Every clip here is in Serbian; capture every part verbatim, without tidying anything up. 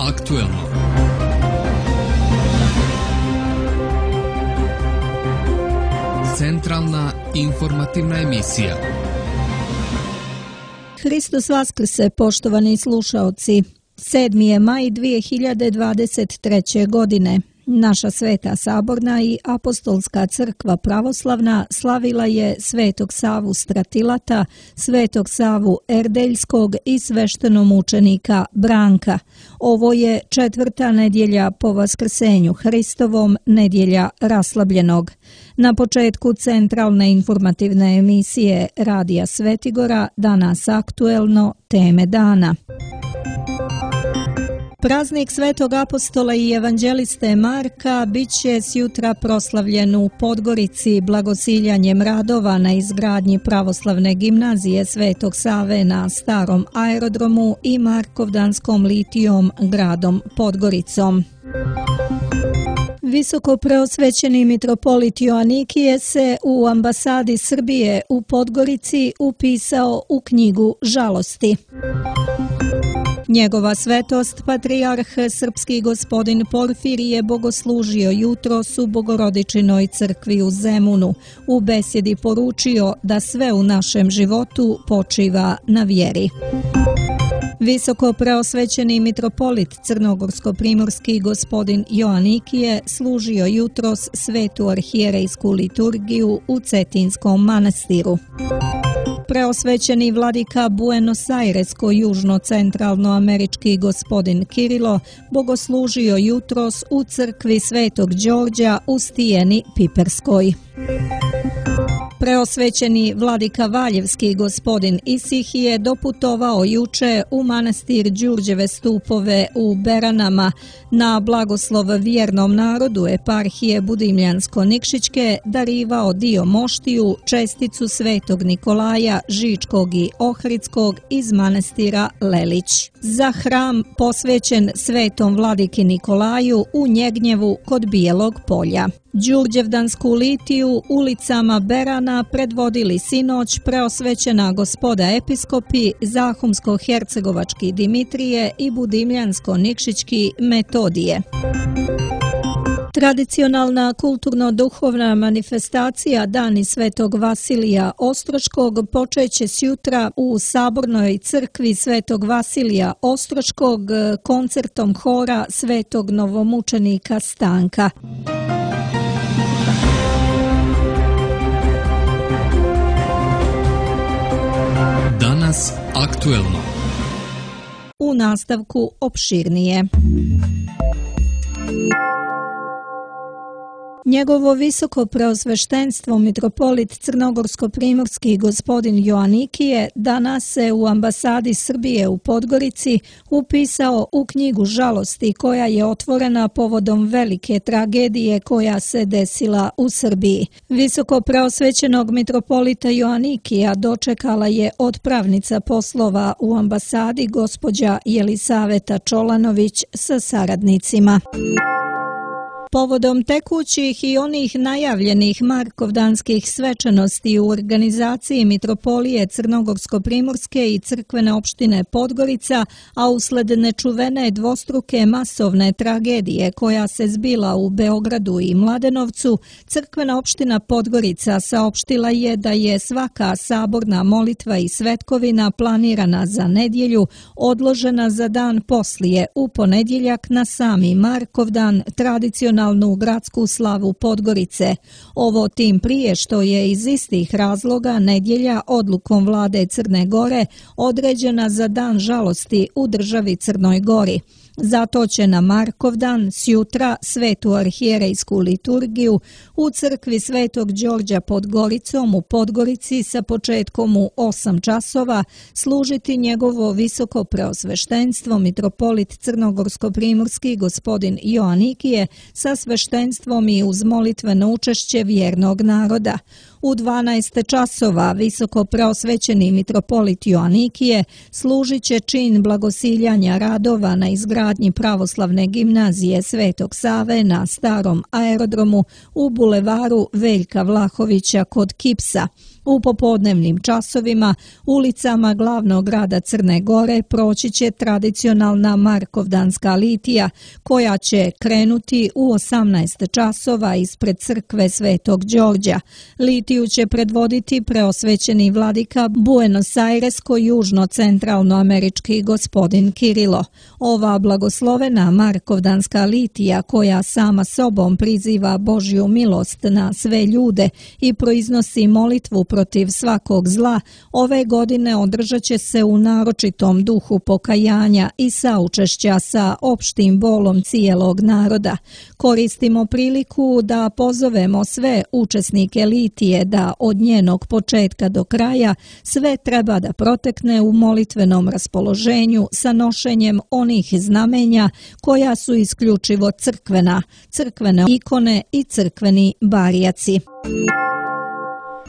aktuelno. Centralna informativna emisija. Hristos Vaskrse, poštovani slušaoci. sedmi je maj dvije hiljade dvadeset treće. godine. Naša Sveta Saborna i Apostolska crkva pravoslavna slavila je Svetog Savu Stratilata, Svetog Savu Erdeljskog i sveštenomučenika Branka. Ovo je četvrta nedjelja po Vaskrsenju Hristovom, nedjelja raslabljenog. Na početku centralne informativne emisije Radija Svetigora, danas aktuelno, teme dana. Praznik Svetog apostola i evanđeliste Marka bit će sjutra proslavljen u Podgorici blagosiljanjem radova na izgradnji pravoslavne gimnazije Svetog Save na starom aerodromu i Markovdanskom litijom gradom Podgoricom. Visoko preosvećeni mitropolit Joanikije se u ambasadi Srbije u Podgorici upisao u knjigu žalosti. Njegova svetost, patrijarh srpski gospodin Porfirije, bogoslužio jutros u Bogorodičinoj crkvi u Zemunu. U besjedi poručio da sve u našem životu počiva na vjeri. Visoko preosvećeni mitropolit crnogorsko-primorski gospodin Joanikije služio jutros svetu arhijerejsku liturgiju u Cetinskom manastiru. Preosvećeni vladika Buenos Airesko južno-centralnoamerički gospodin Kirilo bogoslužio jutros u crkvi Svetog Đorđa u Stijeni Piperskoj. Preosvećeni vladika Valjevski gospodin Isihije doputovao juče u manastir Đurđeve stupove u Beranama na blagoslov vjernom narodu eparhije Budimljansko-Nikšićke darivao dio moštiju, česticu Svetog Nikolaja Žičkog i Ohridskog iz manastira Lelić. Za hram posvećen Svetom vladiki Nikolaju u Njegnjevu kod Bijelog polja. Đurđevdansku litiju ulicama Berana predvodili sinoć preosvećena gospoda episkopi Zahumsko-hercegovački Dimitrije i Budimljansko-nikšićki Metodije. Tradicionalna kulturno-duhovna manifestacija Dani Svetog Vasilija Ostroškog počeće sjutra u Sabornoj crkvi Svetog Vasilija Ostroškog koncertom hora Svetog novomučenika Stanka. Danas aktuelno. U nastavku opširnije. Njegovo visoko preosveštenstvo mitropolit crnogorsko-primorski gospodin Joanikije danas se u ambasadi Srbije u Podgorici upisao u knjigu žalosti koja je otvorena povodom velike tragedije koja se desila u Srbiji. Visoko preosvećenog mitropolita Joanikija dočekala je otpravnica poslova u ambasadi gospođa Jelisaveta Čolanović sa saradnicima. Povodom tekućih i onih najavljenih markovdanskih svečanosti u organizaciji Mitropolije Crnogorsko-primorske i crkvene opštine Podgorica, a usled nečuvene dvostruke masovne tragedije koja se zbila u Beogradu i Mladenovcu, crkvena opština Podgorica saopštila je da je svaka saborna molitva i svetkovina planirana za nedjelju odložena za dan poslije, u ponedjeljak na sami Markovdan, tradicionalno u gradsku slavu Podgorice. Ovo tim prije što je iz istih razloga nedjelja odlukom vlade Crne Gore određena za dan žalosti u državi Crnoj Gori. Zato će na Markovdan sjutra svetu arhijerejsku liturgiju u crkvi Svetog Đorđa pod Goricom u Podgorici sa početkom u osam časova služiti njegovo visoko preosveštenstvo mitropolit crnogorsko-primorski gospodin Joanikije sa sveštenstvom i uz molitveno učešće vjernog naroda. U dvanaest časova visoko preosvećeni mitropolit Joanikije služit će čin blagosiljanja radova na izgradnji pravoslavne gimnazije Svetog Save na starom aerodromu u bulevaru Veljka Vlahovića kod Kipsa. U popodnevnim časovima ulicama glavnog grada Crne Gore proći će tradicionalna Markovdanska litija koja će krenuti u osamnaest časova ispred crkve Svetog Đorđa. Litiju će predvoditi preosvećeni vladika Buenos Airesko-južno-centralnoamerički gospodin Kirilo. Ova blagoslovena Markovdanska litija koja sama sobom priziva Božju milost na sve ljude i proiznosi molitvu protiv svakog zla, ove godine održat će se u naročitom duhu pokajanja i saučešća sa opštim bolom cijelog naroda. Koristimo priliku da pozovemo sve učesnike litije da od njenog početka do kraja sve treba da protekne u molitvenom raspoloženju sa nošenjem onih znamenja koja su isključivo crkvena, crkvene ikone i crkveni barjaci.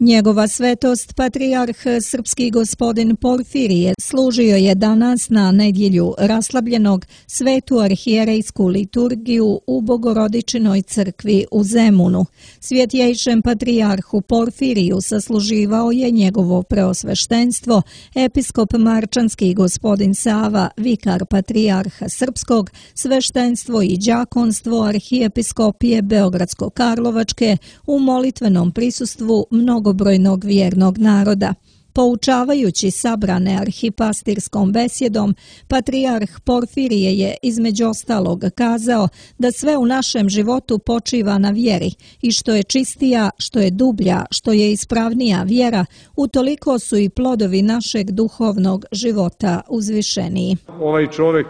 Njegova svetost, patrijarh srpski gospodin Porfirije, služio je danas na nedjelju raslabljenog svetu arhijerejsku liturgiju u Bogorodičinoj crkvi u Zemunu. Svjetjejšem patrijarhu Porfiriju sasluživao je njegovo preosveštenstvo, episkop marčanski gospodin Sava, vikar patrijarha srpskog, sveštenstvo i đakonstvo arhijepiskopije Beogradsko-Karlovačke u molitvenom prisustvu mnogo brojnog vjernog naroda. Poučavajući sabrane arhipastirskom besjedom, patrijarh Porfirije je između ostalog kazao da sve u našem životu počiva na vjeri i što je čistija, što je dublja, što je ispravnija vjera, utoliko su i plodovi našeg duhovnog života uzvišeniji. Ovaj čovjek,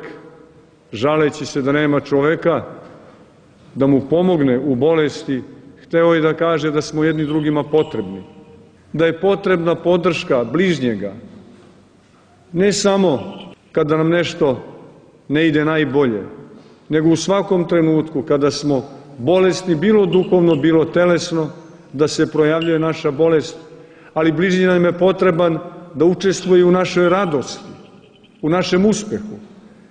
žaleći se da nema čovjeka, da mu pomogne u bolesti, hteo je da kaže da smo jedni drugima potrebni, da je potrebna podrška bližnjega, ne samo kada nam nešto ne ide najbolje, nego u svakom trenutku kada smo bolesni, bilo duhovno, bilo telesno, da se projavljuje naša bolest, ali bližnji nam je potreban da učestvuje u našoj radosti, u našem uspehu,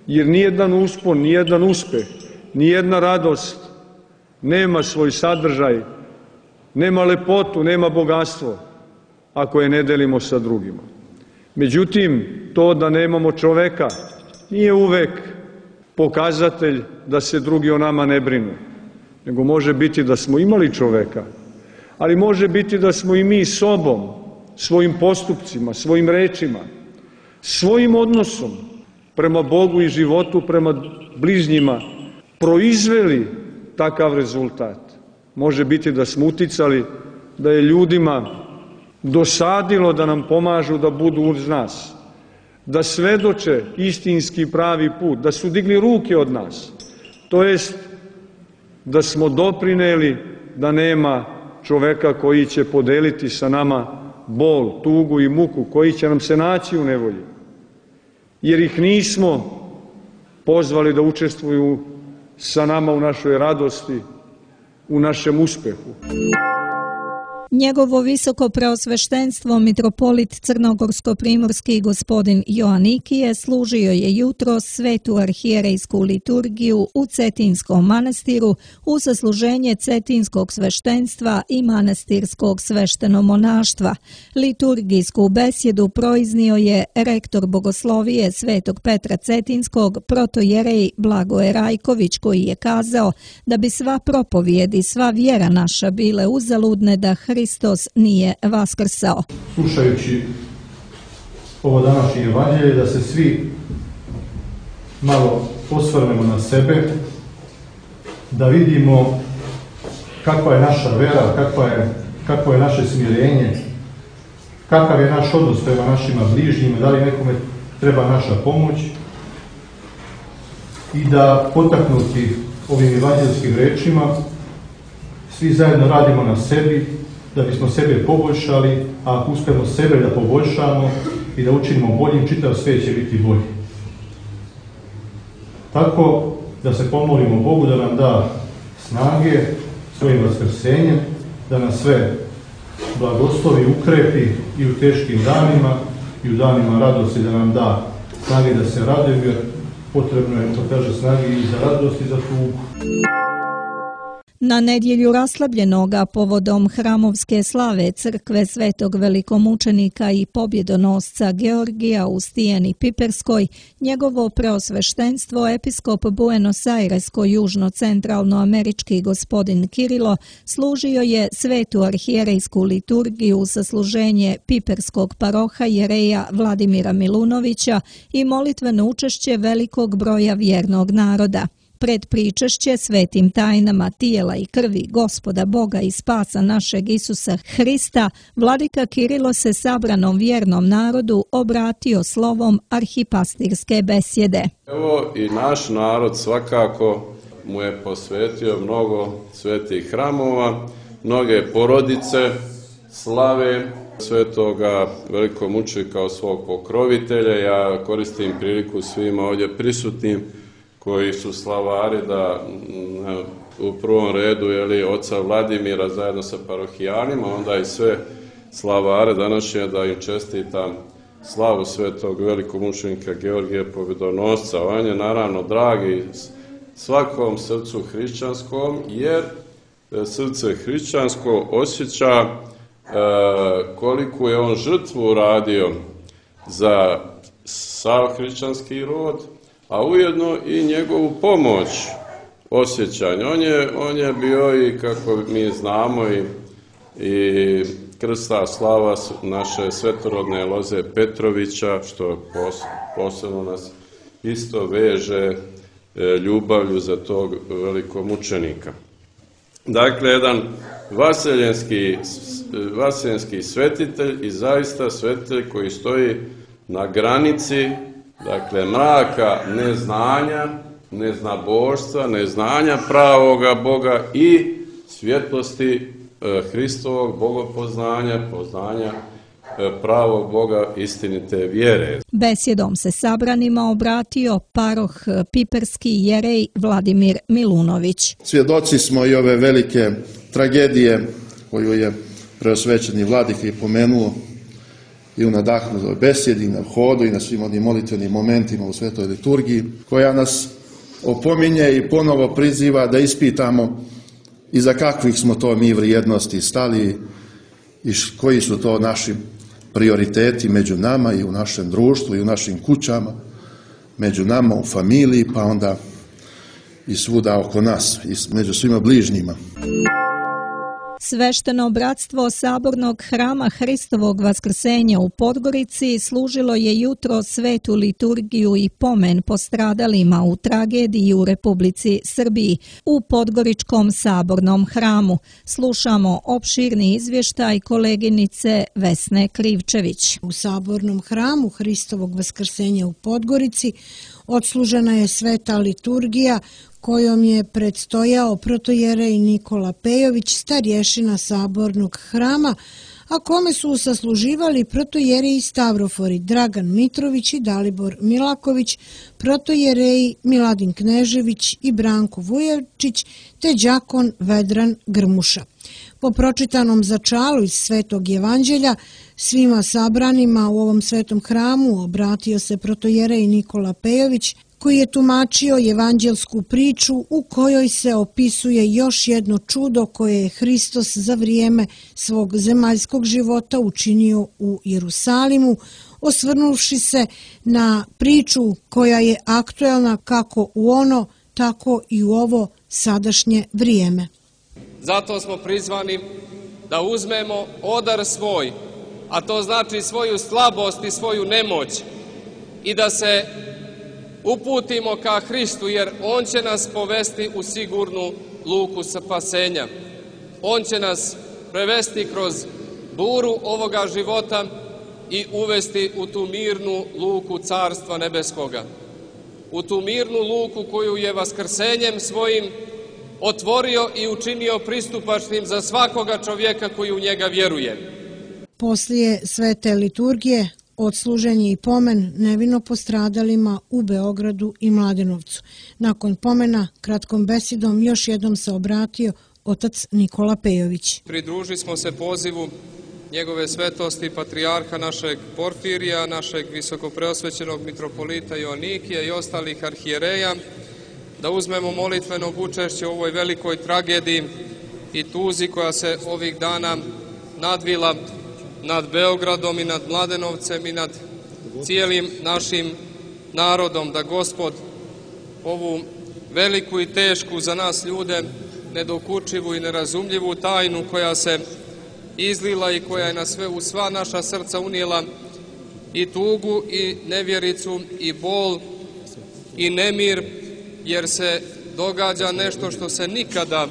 jer nijedan uspon, nijedan uspeh, nijedna radost nema svoj sadržaj, nema lepotu, nema bogatstvo, ako je ne delimo sa drugima. Međutim, to da nemamo čoveka nije uvek pokazatelj da se drugi o nama ne brinu, nego može biti da smo imali čoveka, ali može biti da smo i mi sobom, svojim postupcima, svojim rečima, svojim odnosom prema Bogu i životu, prema bližnjima, proizveli takav rezultat. Može biti da smo uticali da je ljudima dosadilo da nam pomažu da budu uz nas, da svedoče istinski pravi put, da su digli ruke od nas, to jest da smo doprineli da nema čoveka koji će podeliti sa nama bol, tugu i muku, koji će nam se naći u nevolji, jer ih nismo pozvali da učestvuju sa nama u našoj radosti, u našem uspehu. Njegovo visoko preosveštenstvo mitropolit crnogorsko-primorski gospodin Joanikije služio je jutro svetu arhijerejsku liturgiju u Cetinskom manastiru u sasluženje cetinskog sveštenstva i manastirskog sveštenomonaštva. Liturgijsku besjedu proiznio je rektor bogoslovije Svetog Petra Cetinskog, protojerej Blagoje Rajković, koji je kazao da bi sva propovijed i sva vjera naša bile uzaludne da Hristos nije vaskrsao. Slušajući ovo današnje evanđelje, da se svi malo osvrnemo na sebe, da vidimo kakva je naša vera, kakva je, kakvo je naše smirenje, kakav je naš odnos prema našima bližnjima, da li nekome treba naša pomoć, i da potaknuti ovim evanđelskim rečima svi zajedno radimo na sebi, da bismo sebe poboljšali, a ako uspemo sebe da poboljšamo i da učinimo boljim, čitav svijet će biti bolji. Tako da se pomolimo Bogu da nam da snage svojim vaskrsenjem, da nas sve blagoslovi, ukrepi i u teškim danima i u danima radosti, da nam da snage da se radujemo, jer potrebno je, to kaže, snage i za radost i za tugu. Na nedjelju raslabljenoga povodom hramovske slave crkve Svetog velikomučenika i pobjedonosca Georgija u Stijeni Piperskoj, njegovo preosveštenstvo episkop Buenos Airesko-južno-centralnoamerički gospodin Kirilo služio je svetu arhijerejsku liturgiju sa služenje piperskog paroha jereja Vladimira Milunovića i molitveno učešće velikog broja vjernog naroda. Pred pričešće svetim tajnama tijela i krvi Gospoda Boga i spasa našeg Isusa Hrista, vladika Kirilo se sabranom vjernom narodu obratio slovom arhipastirske besjede. Evo i naš narod svakako mu je posvetio mnogo svetih hramova, mnoge porodice slave svetoga velikomučenika kao svog pokrovitelja. Ja koristim priliku svima ovdje prisutnim koji su slavari da u prvom redu je oca Vladimira zajedno sa parohijanima, onda i sve slavare današnje da im čestitam slavu svetog velikomučenika Georgija Pobjedonosca. On je naravno dragi svakom srcu hrišćanskom, jer srce hrišćansko osjeća koliko je on žrtvu uradio za sav hrišćanski rod, a ujedno i njegovu pomoć osjećanja. On je, on je bio i, kako mi znamo, i, i krsta slava naše svetorodne Loze Petrovića, što pos, posebno nas isto veže ljubavlju za tog velikomučenika. Dakle, jedan vaseljenski, vaseljenski svetitelj i zaista svetitelj koji stoji na granici, dakle, mraka neznanja, neznaboštva, neznanja pravoga Boga i svjetlosti e, Hristovog bogopoznanja, poznanja e, pravog Boga, istinite vjere. Besjedom se sabranima obratio paroh piperski jerej Vladimir Milunović. Svjedoci smo i ove velike tragedije koju je preosvećeni vladika i pomenuo i u nadahnutoj besjedi, na hodu i na svim onim molitvenim momentima u svetoj liturgiji, koja nas opominje i ponovo priziva da ispitamo iza kakvih smo to mi vrijednosti stali i koji su to naši prioriteti među nama i u našem društvu i u našim kućama, među nama u familiji, pa onda i svuda oko nas i među svima bližnjima. Svešteno bratstvo Sabornog hrama Hristovog vaskrsenja u Podgorici služilo je jutro svetu liturgiju i pomen postradalima u tragediji u Republici Srbiji u Podgoričkom Sabornom hramu. Slušamo opširni izvještaj koleginice Vesne Krivčević. U Sabornom hramu Hristovog vaskrsenja u Podgorici odslužena je sveta liturgija kojom je predstojao protojerej Nikola Pejović, starješina Sabornog hrama, a kome su sasluživali protojereji Stavrofori Dragan Mitrović i Dalibor Milaković, protojereji Miladin Knežević i Branko Vujevčić, te đakon Vedran Grmuša. Po pročitanom začalu iz Svetog Evanđelja, svima sabranima u ovom svetom hramu obratio se protojerej Nikola Pejović, koji je tumačio evanđelsku priču u kojoj se opisuje još jedno čudo koje je Hristos za vrijeme svog zemaljskog života učinio u Jerusalimu, osvrnuvši se na priču koja je aktuelna kako u ono, tako i u ovo sadašnje vrijeme. Zato smo prizvani da uzmemo odar svoj, a to znači svoju slabost i svoju nemoć, i da se uputimo ka Hristu, jer On će nas povesti u sigurnu luku spasenja. On će nas prevesti kroz buru ovoga života i uvesti u tu mirnu luku Carstva Nebeskoga. U tu mirnu luku koju je vaskrsenjem svojim otvorio i učinio pristupačnim za svakoga čovjeka koji u njega vjeruje. Poslije svete liturgije odslužen je i pomen nevino postradalima u Beogradu i Mladenovcu. Nakon pomena, kratkom besedom još jednom se obratio otac Nikola Pejović. Pridružili smo se pozivu njegove svetosti patrijarha našeg Porfirija, našeg visokopreosvećenog mitropolita Joanikija i ostalih arhijereja da uzmemo molitvenog učešća u ovoj velikoj tragediji i tuzi koja se ovih dana nadvila nad Beogradom i nad Mladenovcem i nad cijelim našim narodom, da Gospod ovu veliku i tešku za nas ljude, nedokučivu i nerazumljivu tajnu koja se izlila i koja je na sve, u sva naša srca unijela i tugu i nevjericu i bol i nemir, jer se događa nešto što se nikada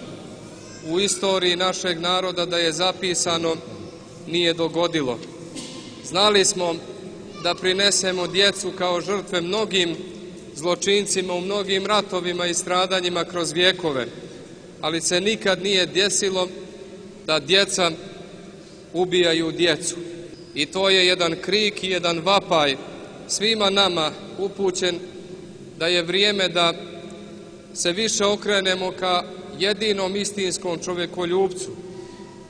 u istoriji našeg naroda da je zapisano nije dogodilo. Znali smo da prinesemo djecu kao žrtve mnogim zločincima u mnogim ratovima i stradanjima kroz vjekove, ali se nikad nije desilo da djeca ubijaju djecu. I to je jedan krik i jedan vapaj svima nama upućen da je vrijeme da se više okrenemo ka jedinom istinskom čovjekoljubcu,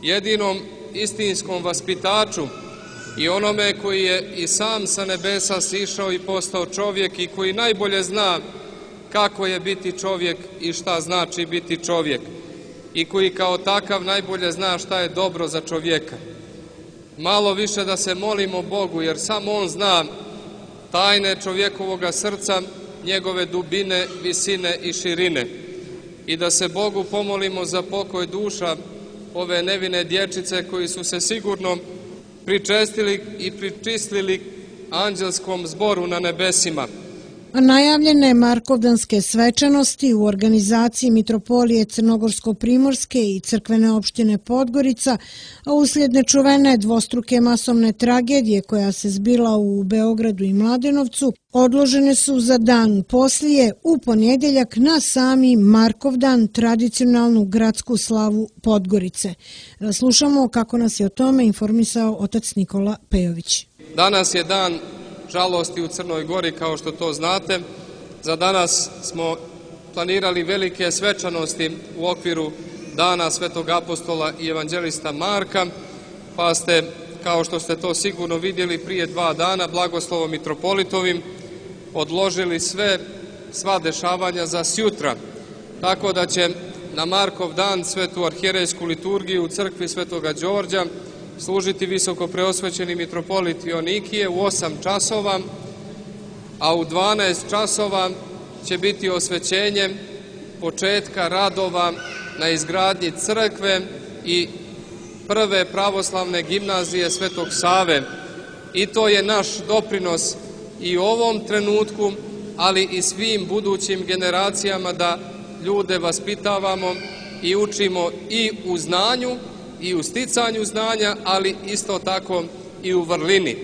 jedinom istinskom vaspitaču i onome koji je i sam sa nebesa sišao i postao čovjek i koji najbolje zna kako je biti čovjek i šta znači biti čovjek i koji kao takav najbolje zna šta je dobro za čovjeka. Malo više da se molimo Bogu, jer samo On zna tajne čovjekovoga srca, njegove dubine, visine i širine. I da se Bogu pomolimo za pokoj duša ove nevine dječice koji su se sigurno pričestili i pričistili anđelskom zboru na nebesima. Najavljene Markovdanske svečanosti u organizaciji Mitropolije Crnogorsko-Primorske i crkvene opštine Podgorica, a uslijed nečuvene dvostruke masovne tragedije koja se zbila u Beogradu i Mladenovcu, odložene su za dan poslije u ponedjeljak na sami Markovdan, tradicionalnu gradsku slavu Podgorice. Slušamo kako nas je o tome informisao otac Nikola Pejović. Danas je dan žalosti u Crnoj Gori, kao što to znate. Za danas smo planirali velike svečanosti u okviru Dana Svetog apostola i evanđelista Marka, pa ste, kao što ste to sigurno vidjeli prije dva dana, blagoslovom mitropolitovim odložili sve, sva dešavanja za sjutra. Tako da će na Markov dan svetu arhijerejsku liturgiju u crkvi Svetoga Đorđa služiti visoko preosvećeni mitropolit Joanikije u osam časova, a u dvanaest časova će biti osvećenje početka radova na izgradnji crkve i prve pravoslavne gimnazije Svetog Save. I to je naš doprinos i u ovom trenutku, ali i svim budućim generacijama, da ljude vaspitavamo i učimo i u znanju i u sticanju znanja, ali isto tako i u vrlini.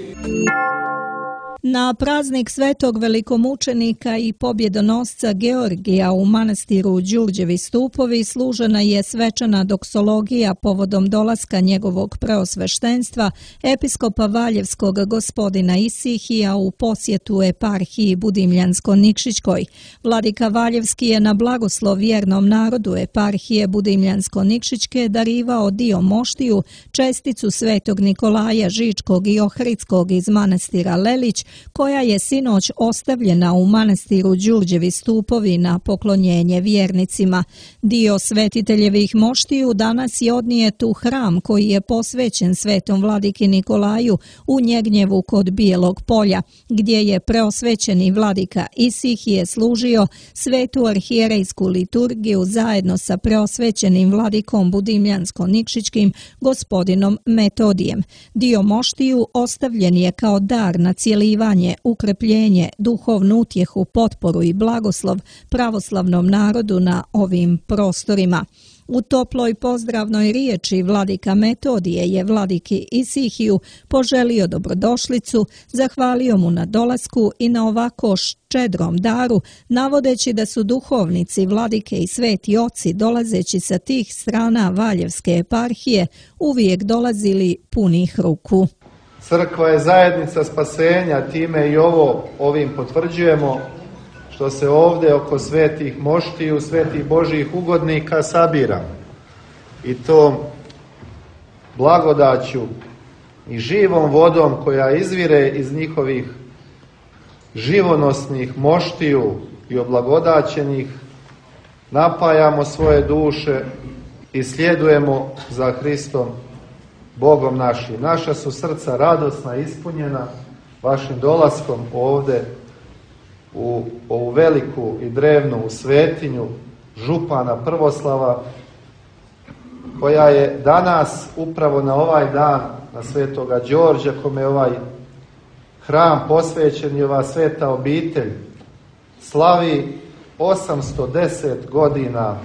Na praznik svetog velikomučenika i pobjedonosca Georgija u manastiru Đurđevi stupovi služena je svečana doksologija povodom dolaska njegovog preosveštenstva episkopa Valjevskog gospodina Isihija u posjetu eparhiji Budimljansko-Nikšićkoj. Vladika Valjevski je na blagoslov vjernom narodu eparhije Budimljansko-Nikšićke darivao dio moštiju, česticu svetog Nikolaja Žičkog i Ohridskog iz manastira Lelić, koja je sinoć ostavljena u manastiru Đurđevi stupovi na poklonjenje vjernicima. Dio svetiteljevih moštiju danas je odnijet u hram koji je posvećen svetom vladiki Nikolaju u Njegnjevu kod Bijelog polja, gdje je preosvećeni vladika Isihije služio svetu arhijerejsku liturgiju zajedno sa preosvećenim vladikom Budimljansko-Nikšićkim gospodinom Metodijem. Dio moštiju ostavljen je kao dar na cijelivanje, ukrepljenje, duhovnu utjehu, potporu i blagoslov pravoslavnom narodu na ovim prostorima. U toploj pozdravnoj riječi vladika Metodije je vladiki Isihiju poželio dobrodošlicu, zahvalio mu na dolasku i na ovako ščedrom daru, navodeći da su duhovnici, vladike i sveti oci dolazeći sa tih strana Valjevske eparhije uvijek dolazili punih ruku. Crkva je zajednica spasenja, time i ovo ovim potvrđujemo, što se ovdje oko svetih moštiju, svetih Božjih ugodnika sabira. I to blagodaću i živom vodom koja izvire iz njihovih živonosnih moštiju i oblagodaćenih napajamo svoje duše i sljedujemo za Hristom, Bogom našim. Naša su srca radosna i ispunjena vašim dolaskom ovde u ovu veliku i drevnu svetinju župana Prvoslava, koja je danas upravo na ovaj dan, na Svetoga Đorđa, kome je ovaj hram posvećen i ova sveta obitelj slavi osamsto deset godina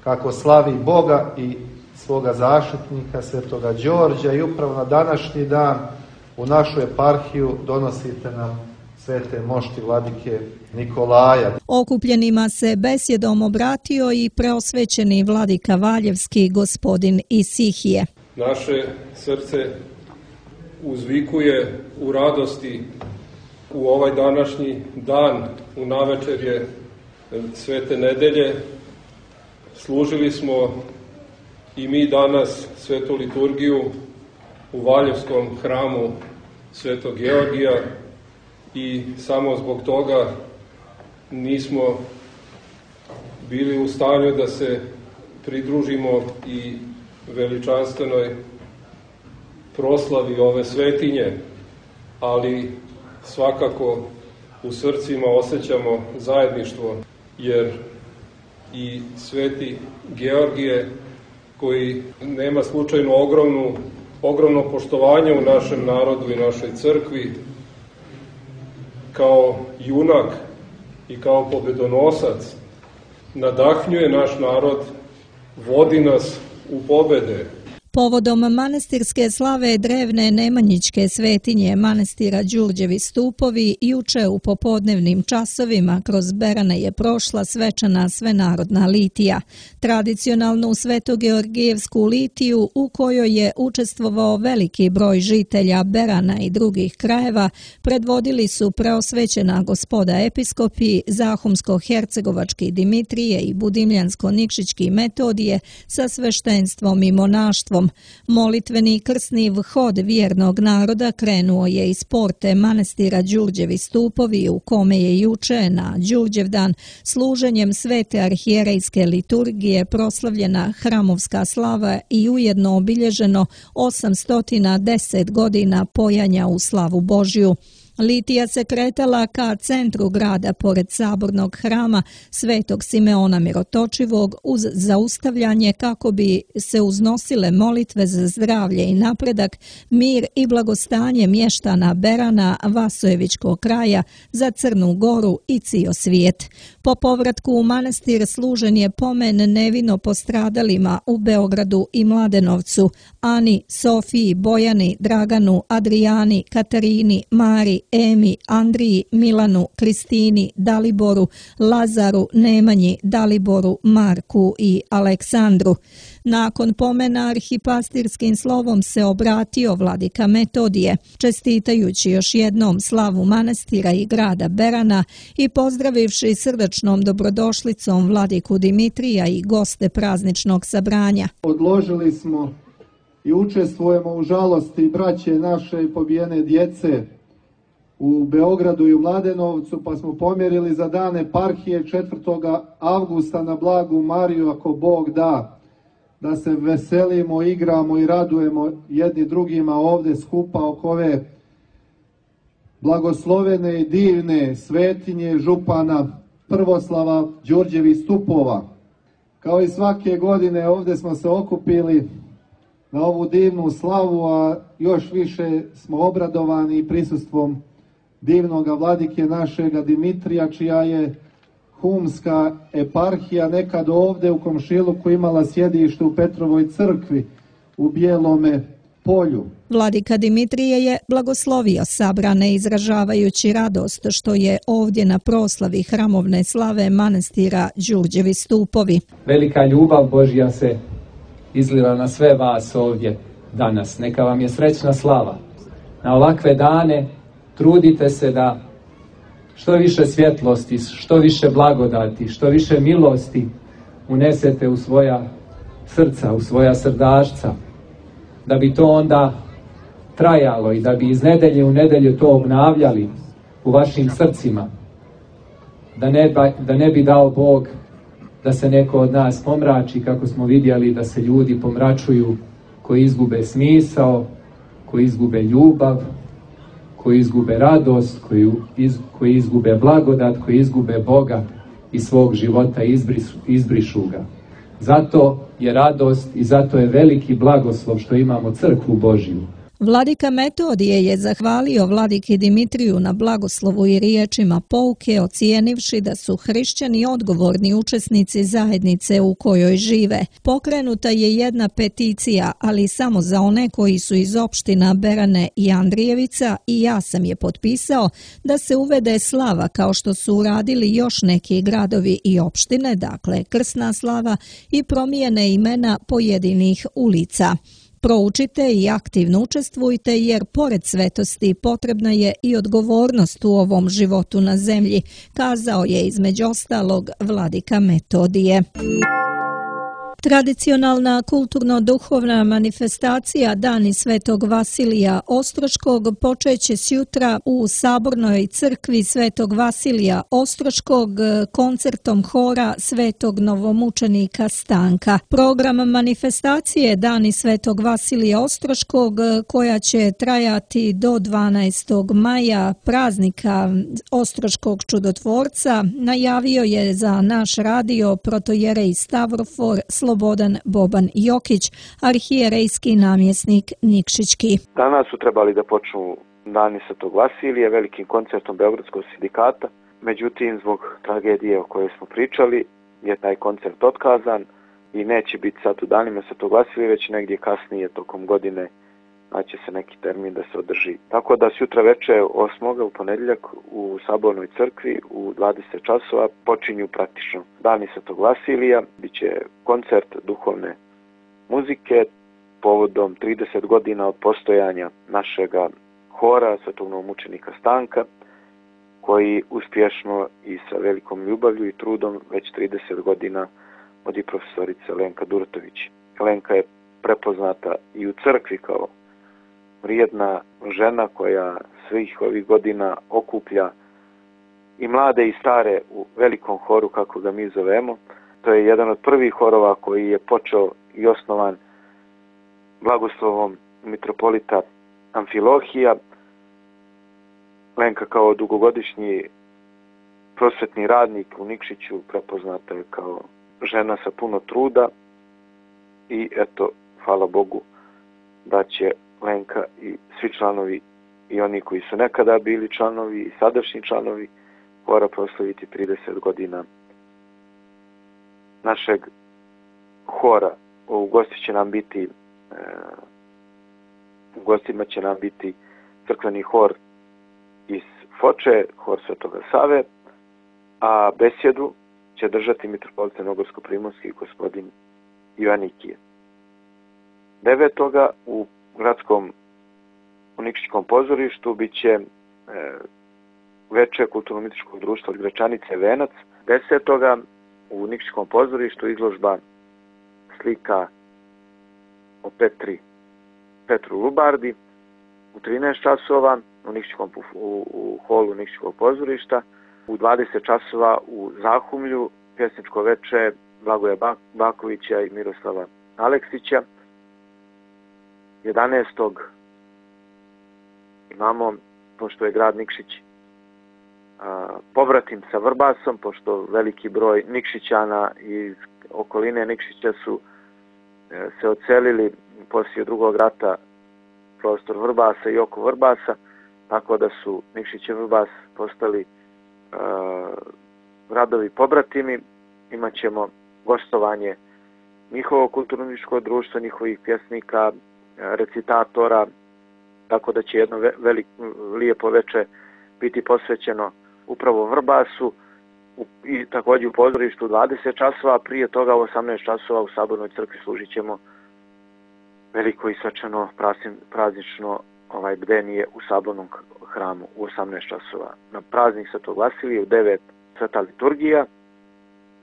kako slavi Boga i svoga zaštitnika Svetoga Đorđa, i upravo na današnji dan u našu eparhiju donosite nam svete mošti vladike Nikolaja. Okupljenima se besjedom obratio i preosvećeni vladika Valjevski gospodin Isihije. Naše srce uzvikuje u radosti u ovaj današnji dan, u navečerje Svete nedelje. Služili smo i mi danas svetu liturgiju u Valjevskom hramu Svetog Georgija i samo zbog toga nismo bili u stanju da se pridružimo i veličanstvenoj proslavi ove svetinje, ali svakako u srcima osjećamo zajedništvo, jer i sveti Georgije, koji nema slučajno ogromnu, ogromno poštovanje u našem narodu i našoj crkvi, kao junak i kao pobedonosac, nadahnjuje naš narod, vodi nas u pobede. Povodom manastirske slave drevne Nemanjićke svetinje manastira Đurđevi stupovi, juče u popodnevnim časovima kroz Berane je prošla svečana svenarodna litija. Tradicionalnu svetogeorgijevsku litiju u kojoj je učestvovao veliki broj žitelja Berana i drugih krajeva predvodili su preosvećena gospoda episkopi Zahumsko-hercegovački Dimitrije i Budimljansko-nikšićki Metodije sa sveštenstvom i monaštvom. Molitveni krsni vhod vjernog naroda krenuo je iz porte manastira Đurđevi stupovi, u kome je juče na Đurđevdan služenjem svete arhijerejske liturgije proslavljena hramovska slava i ujedno obilježeno osamsto deset godina pojanja u slavu Božju. Litija se kretala ka centru grada pored sabornog hrama Svetog Simeona Mirotočivog uz zaustavljanje kako bi se uznosile molitve za zdravlje i napredak, mir i blagostanje mještana Berana, Vasojevićkog kraja, za Crnu Goru i cio svijet. Po povratku u manastir služen je pomen nevino postradalima u Beogradu i Mladenovcu, Ani, Sofiji, Bojani, Draganu, Adrijani, Katarini, Mari, Emi, Andriji, Milanu, Kristini, Daliboru, Lazaru, Nemanji, Daliboru, Marku i Aleksandru. Nakon pomena arhipastirskim slovom se obratio vladika Metodije, čestitajući još jednom slavu manastira i grada Berana i pozdravivši srdačnom dobrodošlicom vladiku Dimitrija i goste prazničnog sabranja. Odložili smo i učestvujemo u žalosti braće naše i pobijene djece u Beogradu i u Mladenovcu, pa smo pomjerili za dan eparhije četvrtog avgusta na Blagu Mariju, ako Bog da, da se veselimo, igramo i radujemo jedni drugima ovde skupa oko ove blagoslovene i divne svetinje župana Prvoslava Đurđevih stupova. Kao i svake godine ovde smo se okupili na ovu divnu slavu, a još više smo obradovani prisustvom divnoga vladike našega Dimitrija, čija je humska eparhija nekad ovde u komšiluku imala sjedište u Petrovoj crkvi u Bijelome polju. Vladika Dimitrije je blagoslovio sabrane izražavajući radost što je ovdje na proslavi hramovne slave manastira Đurđevi stupovi. Velika ljubav Božja se izlila na sve vas ovdje danas. Neka vam je srećna slava. Na ovakve dane trudite se da što više svjetlosti, što više blagodati, što više milosti unesete u svoja srca, u svoja srdašca, da bi to onda trajalo i da bi iz nedelje u nedelju to obnavljali u vašim srcima, da ne, da ne bi dao Bog da se neko od nas pomrači, kako smo vidjeli da se ljudi pomračuju koji izgube smisao, koji izgube ljubav, koji izgube radost, koji, iz, koji izgube blagodat, koji izgube Boga i svog života i izbrišu, izbrišu ga. Zato je radost i zato je veliki blagoslov što imamo crkvu Božju. Vladika Metodije je zahvalio vladiki Dimitriju na blagoslovu i riječima pouke, ocijenivši da su hrišćani odgovorni učesnici zajednice u kojoj žive. Pokrenuta je jedna peticija, ali samo za one koji su iz opština Berane i Andrijevica, i ja sam je potpisao, da se uvede slava kao što su uradili još neki gradovi i opštine, dakle krsna slava, i promijene imena pojedinih ulica. Proučite i aktivno učestvujte jer pored svetosti potrebna je i odgovornost u ovom životu na zemlji, kazao je između ostalog vladika Metodije. Tradicionalna kulturno-duhovna manifestacija Dani Svetog Vasilija Ostroškog počeće sjutra u Sabornoj crkvi Svetog Vasilija Ostroškog koncertom hora Svetog novomučenika Stanka. Program manifestacije Dani Svetog Vasilija Ostroškog, koja će trajati do dvanaestog maja, praznika Ostroškog čudotvorca, najavio je za naš radio protojerej Stavrofor Slobodan Boban Jokić, arhijerejski namjesnik Nikšićki. Danas su trebali da počnu Dani Svetog Vasilija velikim koncertom Beogradskog sindikata, međutim zbog tragedije o kojoj smo pričali je taj koncert otkazan i neće biti sad u Danima Svetog Vasilija, već negdje kasnije tokom godine naće se neki termin da se održi. Tako da sutra veče osmoga u ponedjeljak u Sabornoj crkvi u dvadeset časova počinju praktično Dani Svetog Vasilija. Biće koncert duhovne muzike povodom trideset godina od postojanja našega hora Svetog novomučenika Stanka, koji uspješno i sa velikom ljubavlju i trudom već trideset godina vodi profesorica Lenka Duratović. Lenka je prepoznata i u crkvi kao vrijedna žena koja svih ovih godina okuplja i mlade i stare u velikom horu, kako ga mi zovemo. To je jedan od prvih horova koji je počeo i osnovan blagoslovom mitropolita Amfilohija. Lenka kao dugogodišnji prosvetni radnik u Nikšiću prepoznata je kao žena sa puno truda i eto, hvala Bogu da će Lenka i svi članovi i oni koji su nekada bili članovi i sadašnji članovi hora proslaviti trideset godina našeg hora. U gosti će nam biti e, u gostima će nam biti crkveni hor iz Foče, hor Svetoga Save, a besjedu će držati mitropolit Crnogorsko-primorski gospodin Joanikije. Devetoga u gradskom u Nikšićkom pozorištu bit će e, veče kulturno-umjetničkog društva od Gračanice Venac. Desetoga u Nikšićkom pozorištu izložba slika o Petri, Petru Lubardi u trinaest časova u, Nikšićkom, u, u holu Nikšićkog pozorišta. U dvadeset časova u Zahumlju pjesničko veče Blagoja Bakovića i Miroslava Aleksića. jedanaestog imamo, pošto je grad Nikšić a, pobratim sa Vrbasom, pošto veliki broj Nikšićana iz okoline Nikšića su e, se odselili poslije drugog rata prostor Vrbasa i oko Vrbasa, tako da su Nikšić i Vrbas postali a, radovi pobratimi. Imaćemo gostovanje njihovog kulturno-umjetničkog društva, njihovih pjesnika, recitatora, tako da će jedno veliko, lijepo veče biti posvećeno upravo Vrbasu i također u pozorištu dvadeset časova, prije toga u osamnaest časova u Sabornoj crkvi služit ćemo veliko i svečano praznično ovaj bdenije u Sabornom hramu u osamnaest časova. Na praznik Svetog Vasilija u devet sveta liturgija.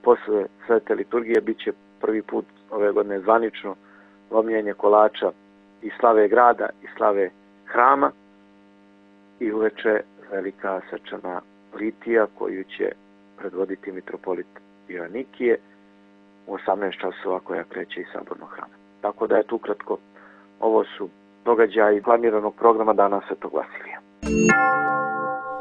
Posle svete liturgije bit će prvi put ove godine zvanično lomljenje kolača i slave grada i slave hrama i uveče velika svečana litija koju će predvoditi mitropolit Joanikije u osamnaest časova koja kreće iz Sabornog hrama. Tako da je tu ukratko, ovo su događaji planiranog programa Dana Svetog Vasilija.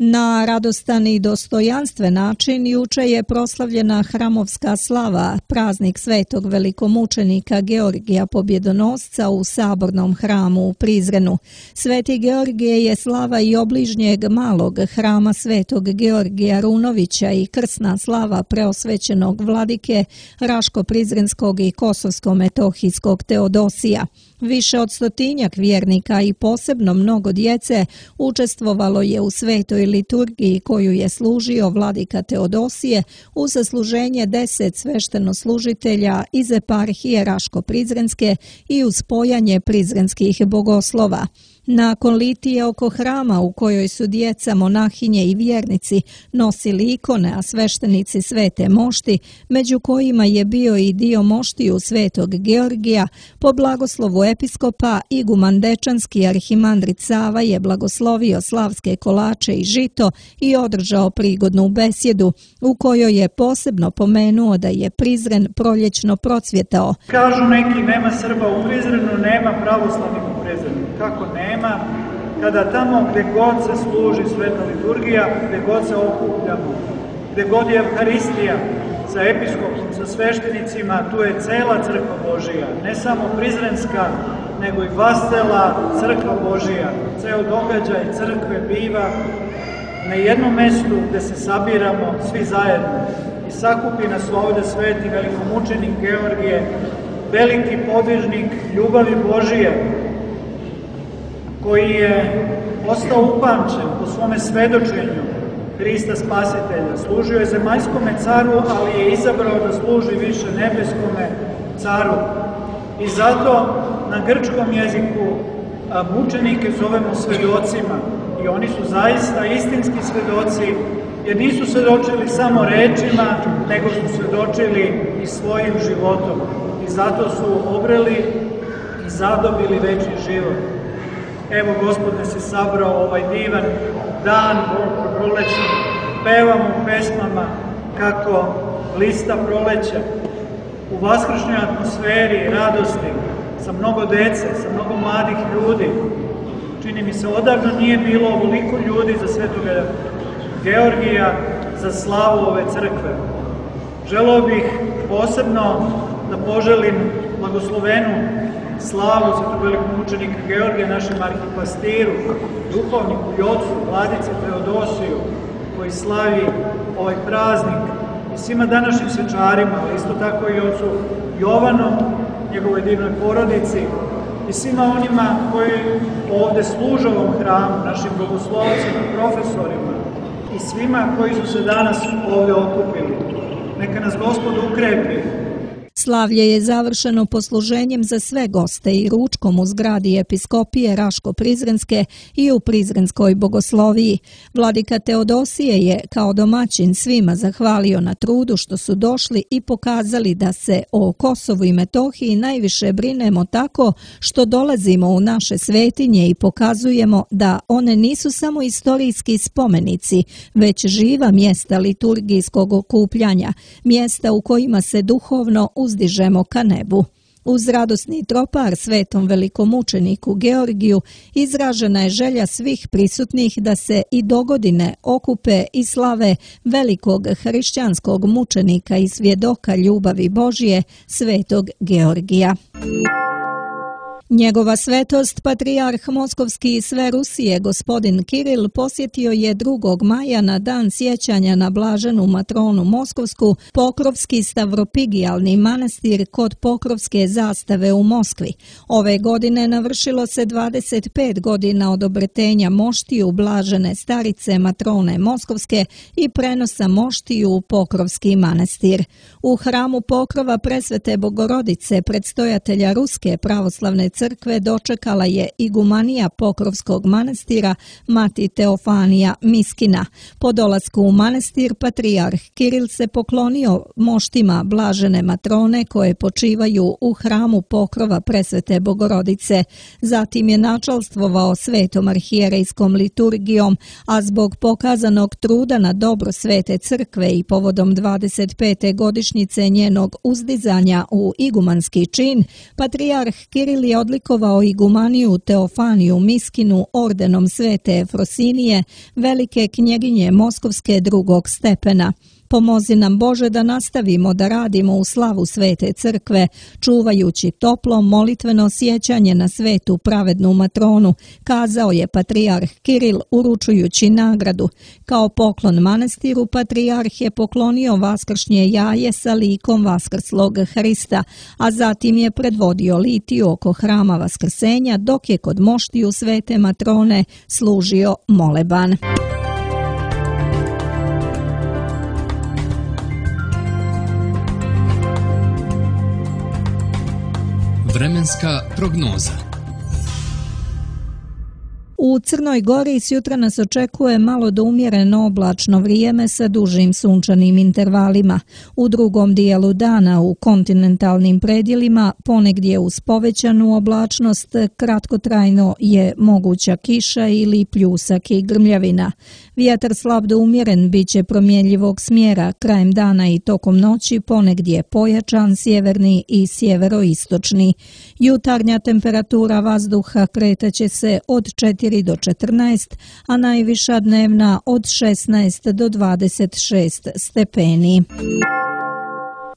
Na radostan i dostojanstven način juče je proslavljena hramovska slava, praznik svetog velikomučenika Georgija Pobjedonosca u Sabornom hramu u Prizrenu. Sveti Georgije je slava i obližnjeg malog hrama svetog Georgija Runovića i krsna slava preosvećenog vladike Raško-Prizrenskog i Kosovsko-Metohijskog Teodosija. Više od stotinjak vjernika i posebno mnogo djece učestvovalo je u svetoj liturgiji koju je služio vladika Teodosije uz zasluženje deset sveštenoslužitelja iz eparhije Raško-Prizrenske i uz spojanje prizrenskih bogoslova. Nakon litije oko hrama u kojoj su djeca, monahinje i vjernici nosili ikone, a sveštenici svete mošti, među kojima je bio i dio moštiju svetog Georgija, po blagoslovu episkopa iguman Dečanski arhimandrit Sava je blagoslovio slavske kolače i žito i održao prigodnu besjedu u kojoj je posebno pomenuo da je Prizren proljećno procvjetao. Kažu neki, nema Srba u Prizrenu, nema pravoslavnih u Prizrenu. Kako nema? Kada tamo gdje god se služi sveta liturgija, gdje god se okupljamo, gdje god je Evharistija sa episkopom, sa sveštenicima, tu je cela crkva Božija, ne samo prizrenska, nego i vascela crkva Božija. Ceo događaj crkve biva na jednom mestu gdje se sabiramo svi zajedno i sakupi nas ovdje sveti velikomučenik Georgije, veliki podvižnik ljubavi Božije, koji je ostao upamćen po svome svedočenju Hrista Spasitelja. Služio je zemaljskome caru, ali je izabrao da služi više nebeskome caru. I zato na grčkom jeziku mučenike zovemo svedocima. I oni su zaista istinski svedoci, jer nisu svedočili samo rečima, nego su svedočili i svojim životom. I zato su obreli i zadobili večni život. Evo, Gospod nas je sabrao ovaj divan dan prolećni, pevamo pesmama kako lista proleća u vaskršnjoj atmosferi, radosti, sa mnogo dece, sa mnogo mladih ljudi. Čini mi se, odavno nije bilo ovoliko ljudi za svetoga Georgija, za slavu ove crkve. Želeo bih posebno da poželim blagoslovenu slavu svetog velikomučenika Georgija, našem arhipastiru, duhovniku i ocu, vladici Teodosiju, koji slavi ovaj praznik, i svima današnjim svečarima, ali isto tako i ocu Jovanom, njegovoj divnoj porodici, i svima onima koji ovdje služe ovom hramu, našim bogoslovcima, profesorima i svima koji su se danas ovdje okupili. Neka nas Gospod ukrepi. Slavlje je završeno posluženjem za sve goste i ručkom u zgradi episkopije Raško-Prizrenske i u Prizrenskoj bogosloviji. Vladika Teodosije je kao domaćin svima zahvalio na trudu što su došli i pokazali da se o Kosovu i Metohiji najviše brinemo tako što dolazimo u naše svetinje i pokazujemo da one nisu samo istorijski spomenici, već živa mjesta liturgijskog okupljanja, mjesta u kojima se duhovno uzdižemo ka nebu. Uz radosni tropar svetom velikomučeniku Georgiju izražena je želja svih prisutnih da se i dogodine okupe i slave velikog hrišćanskog mučenika i svjedoka ljubavi Božje, svetog Georgija. Njegova svetost, patrijarh Moskovski i sve Rusije, gospodin Kiril, posjetio je drugog maja na dan sjećanja na blaženu matronu Moskovsku Pokrovski stavropigijalni manastir kod Pokrovske zastave u Moskvi. Ove godine navršilo se dvadeset pet godina od obretenja moštiju blažene starice matrone Moskovske i prenosa moštiju u Pokrovski manastir. U hramu Pokrova Presvete Bogorodice, predstojatelja Ruske pravoslavne crkve dočekala je igumanija Pokrovskog manastira Mati Teofanija Miskina. Po dolasku u manastir patrijarh Kiril se poklonio moštima blažene matrone koje počivaju u hramu Pokrova Presvete Bogorodice. Zatim je načalstvovao svetom arhijerejskom liturgijom, a zbog pokazanog truda na dobro Svete crkve i povodom dvadeset pete godišnjice njenog uzdizanja u igumanski čin, patrijarh Kiril je odlikovao igumaniju Teofaniju Miskinu ordenom Svete Efrosinije, velike knjeginje Moskovske drugog stepena. Pomozi nam Bože da nastavimo da radimo u slavu Svete crkve, čuvajući toplo molitveno sjećanje na svetu pravednu matronu, kazao je patrijarh Kiril uručujući nagradu. Kao poklon manastiru, patrijarh je poklonio vaskršnje jaje sa likom vaskrslog Hrista, a zatim je predvodio litiju oko hrama Vaskrsenja, dok je kod moštiju Svete matrone služio moleban. Vremenska prognoza. U Crnoj Gori sjutra nas očekuje malo do umjereno oblačno vrijeme sa dužim sunčanim intervalima. U drugom dijelu dana u kontinentalnim predjelima ponegdje uz povećanu oblačnost kratkotrajno je moguća kiša ili pljusak i grmljavina. Vjetar slab do umjeren bit će promjenjivog smjera, krajem dana i tokom noći ponegdje pojačan sjeverni i sjeveroistočni. Jutarnja temperatura vazduha kretaće se od četiri do četrnaest, a najviša dnevna od šesnaest do dvadeset šest stepeni.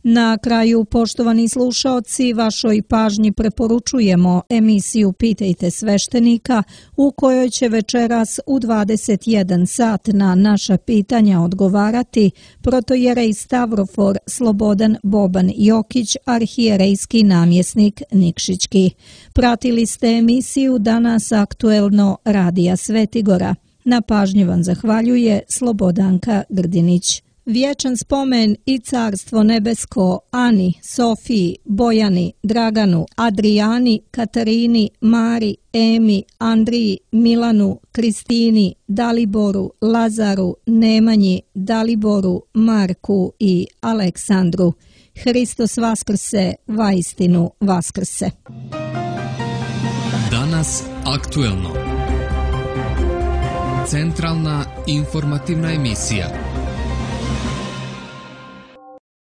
Na kraju, poštovani slušaoci, vašoj pažnji preporučujemo emisiju Pitajte sveštenika, u kojoj će večeras u dvadeset jedan sat na naša pitanja odgovarati protojerej Stavrofor Slobodan Boban Jokić, arhijerejski namjesnik Nikšićki. Pratili ste emisiju Danas aktuelno Radija Svetigora. Na pažnji vam zahvaljuje Slobodanka Grdinić. Vječan spomen i carstvo nebesko Ani, Sofiji, Bojani, Draganu, Adrijani, Katarini, Mari, Emi, Andriji, Milanu, Kristini, Daliboru, Lazaru, Nemanji, Daliboru, Marku i Aleksandru. Hristos vaskrse, vaistinu vaskrse. Danas aktuelno. Centralna informativna emisija.